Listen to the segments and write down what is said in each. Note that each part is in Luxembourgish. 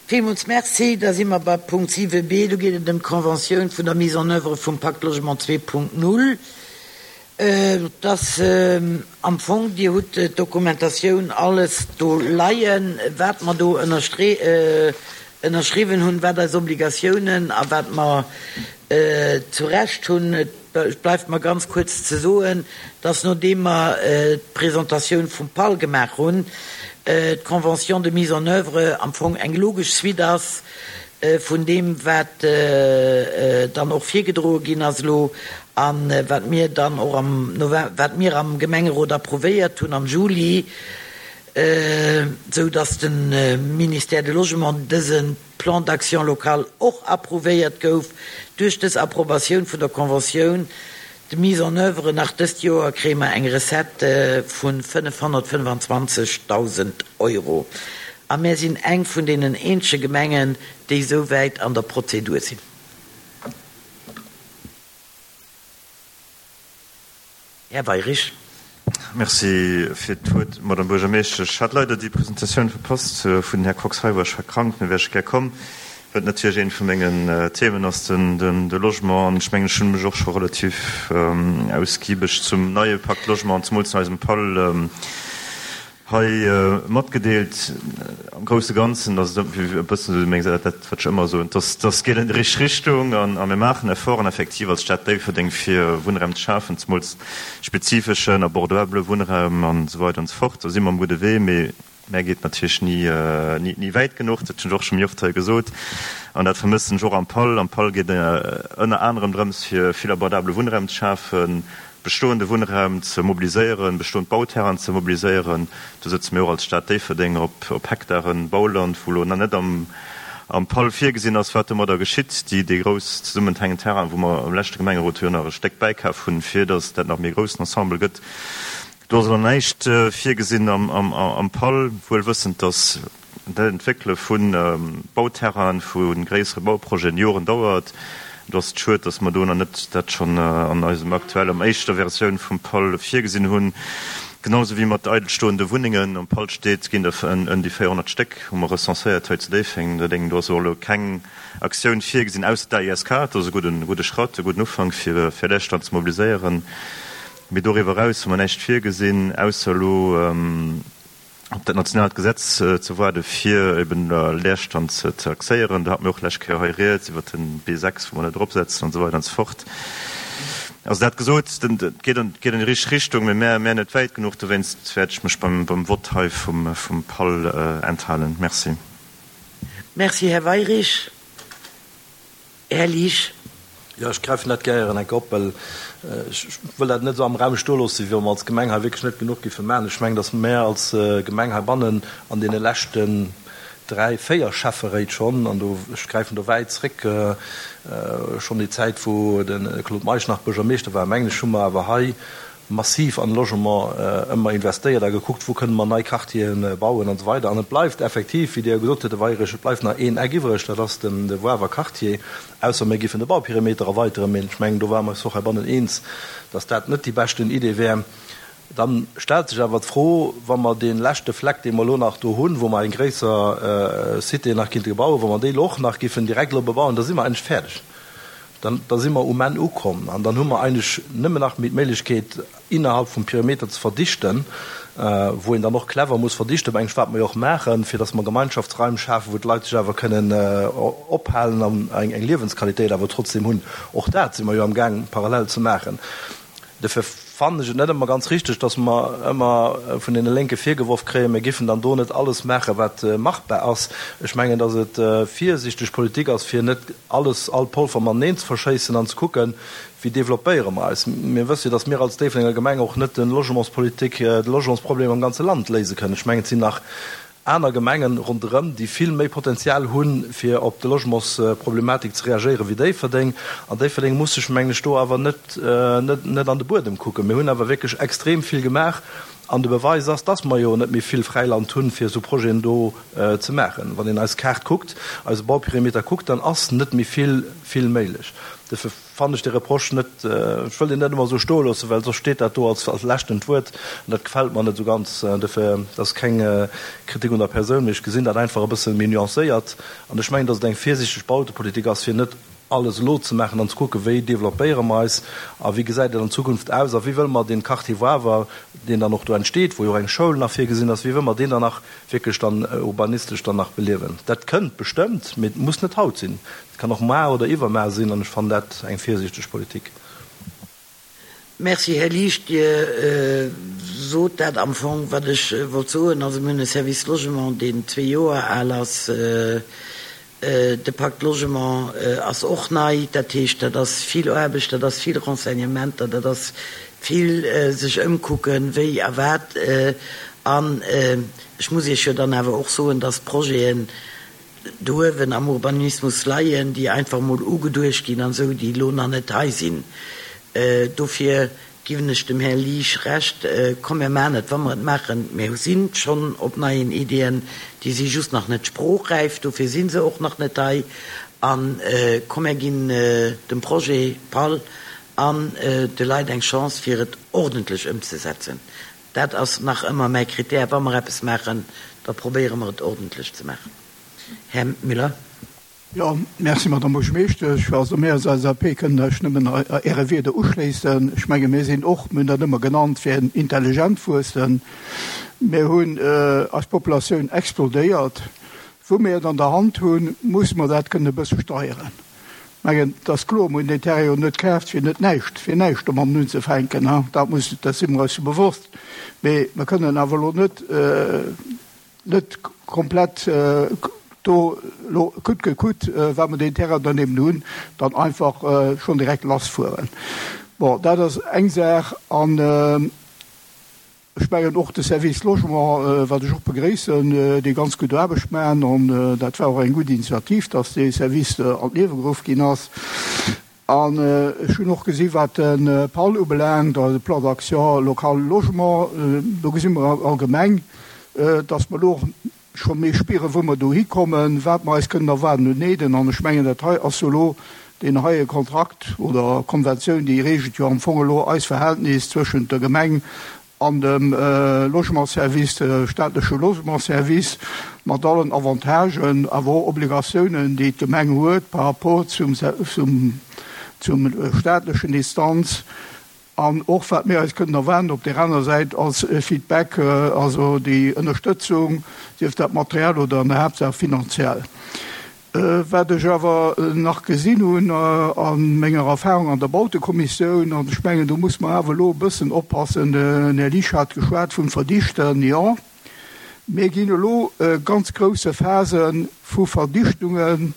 Villmools Merci. Da si mer bei Punkt 7b. Do geet et ëm d'Conventioun vun der Mise en œuvre vum Pacte Logement 2.0. Et ass am Fong, Dir hutt d'Dokumentatioun alles do leien, wat mer do ënnerschriwwen hunn, wat eis Obligatiounen a wat mer zu Recht hunn. Et bleift mer ganz kuerz ze soen, dass nodeem mer d'Presentatioun vum PAL gemaach hunn, d'Convention de mise en œuvre am Fong eng logesch Suite ass vun deem, wat dann och virgedroe ginn ass elo a wat mir dann och am November, wat mir am Gemengerot approuvéiert hunn am Juli, esou dass de Ministère du Logement dëse Plan d'action local och approuvéiert gouf. Duerch dës Approbatioun vun der Conventioun de mise en œuvre nach dëst Joer kréie mer eng Recette vu 525.000 Euro. A mär sinn eng vun deenen eenzege Gemengen, déi esou wäit an der Prozedur sinn. Här Weirich. Merci fir d'Wuert, Madame Buergermeeschtesch. Ech hat leider déi Presentatioun verpasst vun den Här Kox hei war. Ech war krank, mee wär ech gär komm, well et natierlech eent vu mengen Themen ass, de Logement. An ech mengen, ech hunn mech och scho relativ ausgiebeg zum neie Pacte Logement an zemools zu eisem PAL Hei matgedeelt. Am grousse Ganzen ass et e bëssen esou meng Säit, dat wat ech ëmmer soen, dass dass geet an déi richteg Richtung an a mir maachen Efforten effektiv als Stad Déifferdeng fir Wunnraum ze schafen, zemools spezifeschen, abordabele Wunnraum an esou weider an esou fort. Do si mer um gudde Wee, mee mä geet natierlech ni ni ni wäit genuch. Dat hunn ech och scho méi oft hei gesot an dat vermëssen ech och am PAL. Am PAL geet ënner anerem drëms fir vill abordabele Wunnraum ze schafen, Bestoende Wunnraum ze mobiliséieren, bestoend Bauterrainen ze mobiliséieren. Do sëtze mir och als Stad Déifferdeng op Hektaren Bauland, wou elo nach net am PAL virgesinn ass, wat domadder geschitt. Déi déi grouss zesummenhängend Terrainen, wou mer am leschte Gemengerot jo nach e Stéck bäikaf hunn, fir datt dat nach méi e groussen Ensemble gëtt, do ass elo näischt virgesinn am PAL, wuel wëssend, datt D'Entwéckele vu Bauterrainen, vu gréissere Bauprojeten Joren dauert. Do ass et schued, datt mer do nach net dat schonn an eisem aktuell, am éischter Versioun vum PAL virgesinn hunn. Genau esou wéi mat eidelstoende Wunnengen. Am PAL steet, ginn der ëm déi 400 Stéck, hu mer recenséiert hei zu Déiffeng. Do ass och elo keng Aktioun virgesinn, ausser d'AISK. Dat ass e gudden, gudde Schratt, e gudden Ufank, fir fir Leerstand ze mobiliséieren. Mee doriwwer eraus hu mer näischt virgesinn, ausser elo, op dat nationaalt Gesetz ze waarde fir eben Leerstand ze taxéieren. Do hate mir och d'lescht Kéier hei rieds iwwert de B6, wou mer net eropsetzen an esou weider an esou fort. Also dat gesot, et geet an déi richteg Richtung, mee mär mär net wäit genuch. Dowéinst wäert ech mech beim beim Vott hei vum vum PAL enthalen. Merci. Merci, Här Weirich. Här Liesch. Jo, ech gräifen dat gären enk op, well ech wëll dat net esou am Raum stoe loossen, wéi wa mer als Gemeng hei wierklech net genuch géife maachen. Ech mengen, datt mär als Gemeng heibannen an deene leschten dräi, véier Schäfferéit schonn, an do, ech gräifen do wäit zréck, schonn déi Zäit, wou de Claude Meisch nach Buergermeeschter war, mengen ech, hu mer awer hei massiv an de Logement ëmmer investéiert a gekuckt, wou kënne mer nei Quartiere bauen an esou weider. An et bleift effektiv, wéi Dir jo gesot hutt, Här Weirich, et bleift nach een Eck iwwreg, dat ass den de Woarwer Quartier, ausser mir giffen de Bauperimeter erweiteren. Mee ech mengen, do ware mer eis och heibannen eens, dass dat net déi beschten Idee wär. Da stellt sech awer d'Fro, wa mer dee leschte Fleck, dee mer elo nach do hunn, wou mer eng gréisser Cité nach kinnte bauen, wa mer déi elo och nach giffen direkt elo bebauen, da si mer eigentlech fäerdeg. Dann, da si mer um Enn ukomm an dann hu mer eigentlech nëmmen nach méi d'Méiglechkeet, innerhalb vum Perimeter ze verdichten, wou een dann och clever muss verdichten, mengen ech, wat mer jo och maachen, fir dass mer Gemeinschaftsraim schafen, wou d'Leit sech awer kënnen ophalen an eng Liewensqualitéit awer trotzdem hunn. Och dat si mer jo amgaang parallel ze maachen. Dofir fannen ech et net ëmmer ganz richteg, dass mer ëmmer vun deene Lénke virgeworf kréien, mir giffen dann do net alles maachen, wat machbar ass. Ech mengen, dass et virsiichteg Politik ass, fir net alles, all Polver mateneen ze verschéissen an ze kucken, wéi développéiere mer eis. Mir wësse jo, dass mir als Déifferdenger Gemeng och net de Logementspolitik, de Logementsproblem am ganze Land léise kënnen. Ech mengen, et sinn nach aner Gemengen ronderëm, déi vill méi Potenzial hunn, fir op de Logementsproblematik ze reagéieren, wéi Déifferdeng. An Déifferdeng muss sech, mengen ech, do awer net, net, net an de Buedem kucken. Mir hunn awer wierklech extrem vill gemaach. An de Beweis ass, dass mer jo net méi vill Fräiland hunn, fir esou Projeten do ze maachen. Wann een eis Kaart kuckt, eise Bauperimeter kuckt, dann ass net méi vill, vill méiglech. Dofir fannen ech dee Reproche net, ech wëll deen net ëmmer esou stoe loossen, well soss steet dat do als leschtend Wuert an dat gefält mer net esou ganz. Dofir, dat ass keng Kritik un der Persoun, mee ech gesinn dat einfach e bësse méi nuancéiert an ech mengen, dass et eng virsiichteg Bautepolitik ass, fir net alles elo ze maachen an ze kucken, wéi developpéiere mer eis a wéi gesäit et an Zukunft aus a wéi wëlle mer dee Quartier Wawer, deen dann och do entsteet, wou jo och eng Schoul nach virgesinn ass, wéi wëlle mer deen dann nach wierklech dann urbanistesch dann nach beliewen. Dat kënnt bestëmmt, mee et muss net haut sinn, et kann och mar oder iwwermar sinn an ech fannen dat eng virsiichteg Politik. Merci, Här Liesch. Dir sot dat am Fong, wat ech wollt soen. Also mir hunn e Service Logement, deen zwee Joer al ass. De Pacte Logement ass och nei. Dat heescht, dat ass vill Aarbecht, dat ass vill Renseignementer, dat ass vill sech ëmkucken, wéi a wat. An ech muss Iech jo dann awer och soen, dass d'Projeten do uewen am Urbanismus leien, déi einfach emol ugeduecht ginn an esou, déi elo nach net hei sinn. Dofir giwen ech dem Här Liesch Recht, komm mir maachen et, wa mer et maachen, mir si schonn op neien Iddien, déi si just nach net sproochräif, dofir si se och nach net hei, a komm mir ginn dem Projet PAL an de Leit eng Chance fir et ordentlech ëmzesetzen. Dat ass nach ëmmer mäi Kritär, wa mer eppes maachen, da probéiere mer et ordentlech ze maachen. Här Müller. Jo, merci, Madame Buergermeeschtesch. Also mir als LSAP kënnen eis nëmmen Äre Wierder uschléissen. Ech menge mir sinn och, mir hunn dat ëmmer genannt, fir en intelligent Wuessen. Mir hunn eis Populatioun explodéiert. Wou mir et an der Hand hunn, musse mer dat kënnen e bësse steieren. Mengen, et ass kloer, mir hunn deen Terrain jo net kaaft, fir net näischt, fir näischt domatten unzefänken. Dat muss, dat si mer eis jo bewosst. Mee mer kënnen awer elo net, net komplett do elo coûte que coûte, wa mer deen Terrain dann eben hunn, dann einfach schonn direkt lassfueren. Bon, dat ass eng Saach. An ech mengen och de Service Logement, wat ech och begréissen, dee ganz gutt Aarbecht maachen, an dat war och eng gutt Initiativ, dass dee Service an d'Liewe geruff ginn ass. An ech hunn och gesi wat de PAL ubelaangt, also de Plan d'action local logement, do gesi mer allgemeng, dass mer elo och scho méi spieren, wou mer dohi kommen, wat mer eis kënnen erwaarden un Aiden. An ech mengen, dat hei ass jo elo deen heie Kontrakt oder Konventioun, déi regelt jo am Fong elo eis Verhältnis zwëschent der Gemeng an dem Logementsservice, de staatleche Logementsservice, mat allen Avantagen, awer och Obligatiounen, déi d'Gemeng huet par rapport zum, zum staatlechen Instanz an och wat mir eis kënnen erwaarden op där anerer Säit als Feedback, also déi Ënnerstëtzung, sief dat materiell oder an der Haaptsaach finanziell. Wat ech awer nach gesinn hunn a menger Erfahrung an der Bautekommissioun, an ech mengen, do muss mer awer elo e bëssen oppassen, den Här Liesch hat geschwat vum Verdichten, jo, mir ginn elo ganz grousse Phase vu Verdichtungen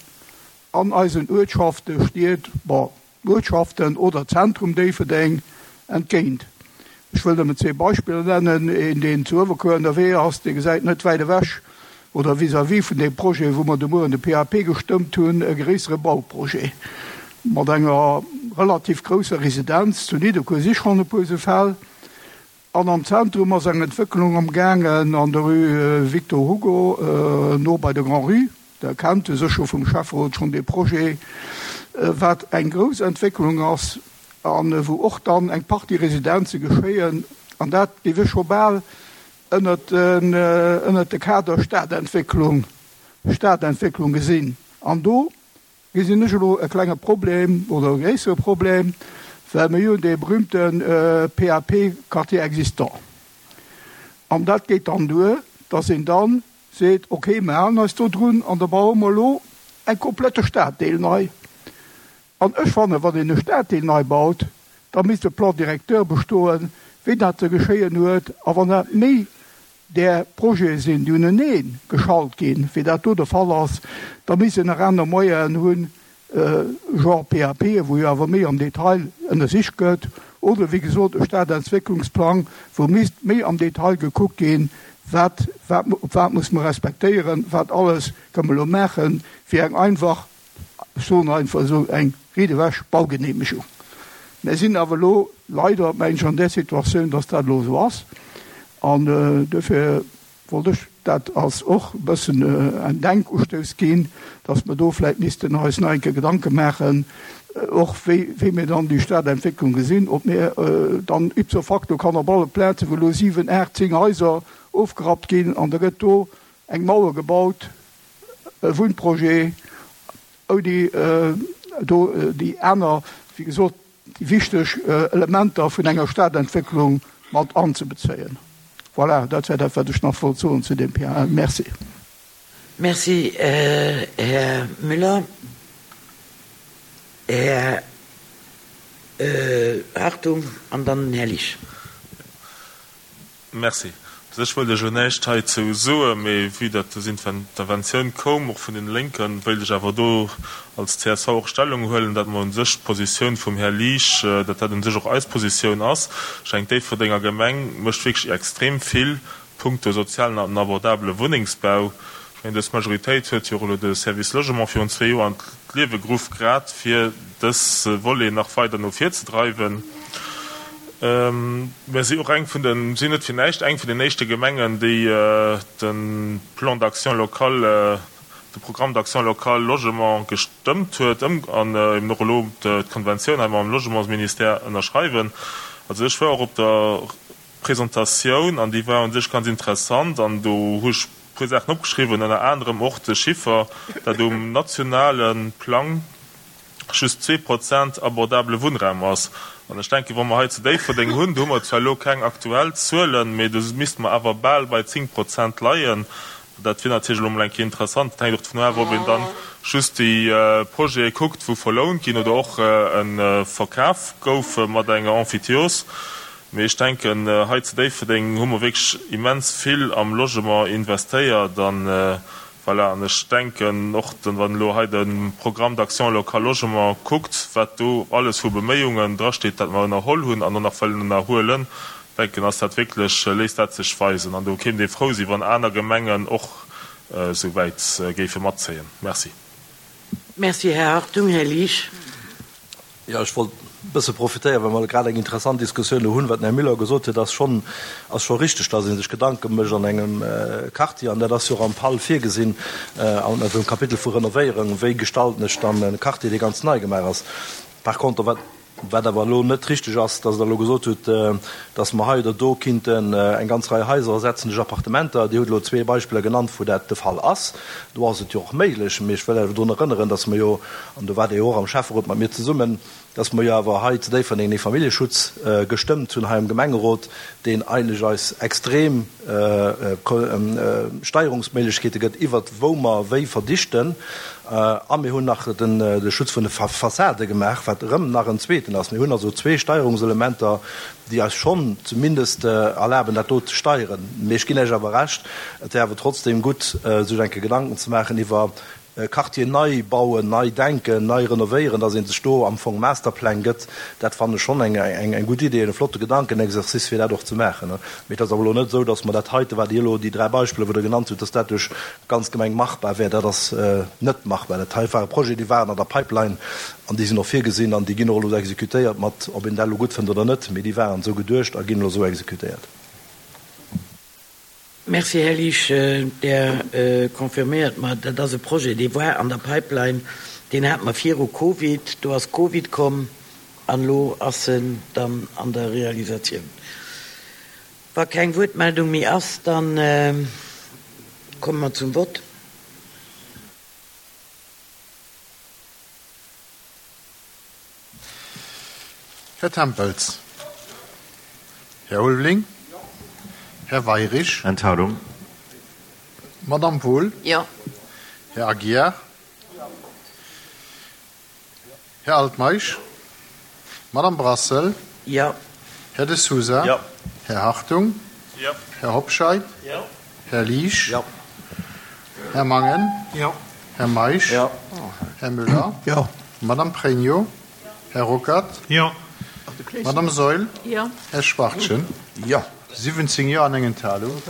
an eisen Uertschaften, Stied, bon, Uertschaften oder Zentrum Déifferdeng entgéint. Ech wëll nëmmen zwee Beispiller nennen, Een, deen zu Uewerkuer ënnerwee ass, dee gesäit net wäit ewech oder vis-à-vis vun deem Projet, wou mer de Mueren de PAP gestëmmt hunn, e gréissere Bauprojet mat enger relativ grousser Residenz. Zu Nidderkuer si schonn e puer esou Fäll. An am Zentrum ass eng Entwécklung am gaangen an der Rue Victor Hugo, no bei der Grand-Rue. Der kennt e sécher vum Schäfferot schonn dee Projet, wat eng grouss Entwécklung ass a wou och dann eng Partie Residenze geschéien. An dat géif ech scho bal ënnert de Kader Stadentwécklung, Stadentwécklung gesinn. An do gesinn ech elo e klenge Problem oder e gréissere Problem, well mir hunn dee berühmte PAP Quartier existant. An dat geet dann duer, dass een dann seet, ok, mir halen eis do drun an da baue mer elo eng komplette Staddeel nei. An ech fannen, wann een e Staddeel nei baut, da misst e Plan directeur bestoen, wéi dat ze geschéien huet. A wann dat méi där Projete sinn, déi unenee geschalt ginn, wéi dat do de Fall ass, da misst een nach aner Moyenen hunn, genre PAP, wou jo awer méi am Detail ënnersicht gëtt, oder wéi gesot e Stadentwécklungsplang, wou misst méi am Detail gekuckt ginn, wat, wat, op wat muss mer respektéieren, wat alles kënne mer elo maachen, fir eng einfach, ech soen einfach esou, eng riit ewech Baugenehmegung. Mir sinn awer elo leider, mengen ech, an där Situatioun, dass dat elo esou ass. An duerfir wollt ech dat als och e bëssen en Denkustouss ginn, dass mer do vläicht missten eis nach eng Kéier Gedanke maachen, och wéi wéi mir dann déi Stadentwécklung gesinn, ob mir dann ipso facto kann op alle Plazen, wou elo 7, 8, 10 Haiser ofgerappt ginn an da gëtt do eng Mauer gebaut, e Wunnprojet, ouni do déi aner, wéi gesot, déi wichteg Elementer vun enger Stadentwécklung mat anzebezéien. Voilà, dat wär dat, wat ech nach wollt soen zu deem PAL. Merci. Merci, Här Müller. Här Hartung an dann den Här Liesch. Merci. U sech wëllt ech elo näischt heizou soen, mee vue datt des Interventioun koum, och vun den Lénken, wéilt ech awer do als csv och Stellung huelen, datt mer u sech d'Positioun vum Här Liesch, datt dat u sech och eis Positioun ass. Ech denken, d'Déifferdenger Gemeng mécht wierklech extrem vill punkto sozialen an abordabele Wunnengsbau. Ech mengen, dës Majoritéit huet jo och elo de Service Logement virun zwee Joer an d'Liewe geruff, grad fir dës Volet nach weider no vir ze dreiwen. Mir si och eng vun den, sinn net fir näischt eng vun den éischte Gemengen, déi de Plan d'action local, de Programme d'action locale logement gestëmmt huet an eben och elo d'Konventioun hei mam Logementsministère ënnerschreiwen. Also ech war och op der Presentatioun an déi war u sech ganz interessant an do hu ech e puer Saachen opgeschriwwen, ënner anerem och de Chiffer, dat um nationale Plang just 2% abordabele Wunnraum ass. An ech denken, wa mer hei zu Déifferdeng hunn, do hu mer zwar elo keng aktuell Zuelen, mee do misste mer awer bal bei 10 Prozent leien. Dat wier natierlech elo emol eng Kéier interessant. Dat hänkt och dovun of, ob een dann just déi Projete kuckt, wou verlount ginn oder och e verkaf gouf mat enger Emphytéose. Mee ech denken, hei zu Déifferdeng hu mer wierklech immens vill am Logement investéiert an Voilà, an ech denken och, wann elo hei de Programme d'action locale logement kuckt, wat do alles vu Beméiungen drasteet, dat mer ënnerholl hunn an och nach wëllen ënnerhuelen, denken, ass dat wierklech, léisst dat sech weisen. An do kéint ee frou sinn, wann aner Gemengen och esou wäit géife matzéien. Merci. Merci, Här Hartung. Här Liesch. Jo, ech wollt e bësse profitéieren, well mer grad eng interessant Diskussioun elo hunn. Wat den Här Müller gesot huet, ass schonn, ass scho richteg, dass ee sech Gedanke mécht an engem Quartier, an dat ass jo och am PAL virgesinn, an dem Kapitel vu Renovéierung, wéi gestalten ech dann e Quartier, dee ganz nei gemaach ass. Par contre, wat, wat awer elo net richteg ass, dass Der elo gesot hutt, dass mer hei oder do kinnten eng ganz Rei Haiser ersetzen duerch Appartementer. Dir hutt elo zwee Beispiller genannt, wou dat de Fall ass. Do ass et jo och méiglech. Mee ech wëll awer drun erënneren, dass mer jo, an do waart Dir jo och am Schäfferot mat mir zesummen, dass mer jo awer hei zu Déifferdeng dee Familljeschutz gestëmmt hunn hei am Gemengerot, deen eigentlech eis extrem Steierungsméiglechkeete gëtt iwwert wou mer wéi verdichten. A mir hunn nach de Schutz vun de Fassade gemaach, wat erëm nach en zweeten ass. Mir hunn also zwee Steierungselementer, déi eis schonn zumindest erlaben, dat do ze steieren. Mee ech ginn Iech awer Recht, et wär awer trotzdem gutt, sech eng Kéier Gedanken ze maachen iwwer Quartier nei bauen, nei denken, nei renovéieren, dass ee sech do am Fong Masterpläng gëtt. Dat fannen ech schonn eng gutt Idee, e flotte Gedankenexercice, fir dat och ze maachen. Mee et ass awer elo net esou, dass mer dat heite, wat Dir elo, déi dräi Beispiller, wou Der genannt hutt, dass dat duerch d'ganz Gemeng machbar wär. Dat ass net machbar. Dat hei ware Projeten, déi waren an der Pipeline an déi sinn och virgesinn an déi ginn och elo exekutéiert, mat ob een dat elo gutt fënnt oder net, mee déi waren esou geduecht a ginn elo esou exekutéiert. Merci, Här Liesch. Der confirméiert mer, dat ass e Projet, dee war an der Pipeline, deen hate mer viru Covid. Do ass Covid komm an elo ass en dann an der Realisatioun. Wa keng Wuertmeldung méi ass, da komme mer zum Vott. Här Tempels. Här Ulveling. Här Weirich. Enthalung. Madamm Wohl. Jo. Här Aguiar. Här Altmeisch. Madamm Brassel. Jo. Här De Sousa. Jo. Här Hartung. Jo. Här Hobscheit. Jo. Här Liesch. Jo. Här Mangen. Jo. Här Meisch. Jo. Här Müller. Jo. Madamm Pregno. Här Ruckert. Jo. Madamm Saeul. Jo. Här Schwachtgen. Jo. 17 Jo an eng Enthalung.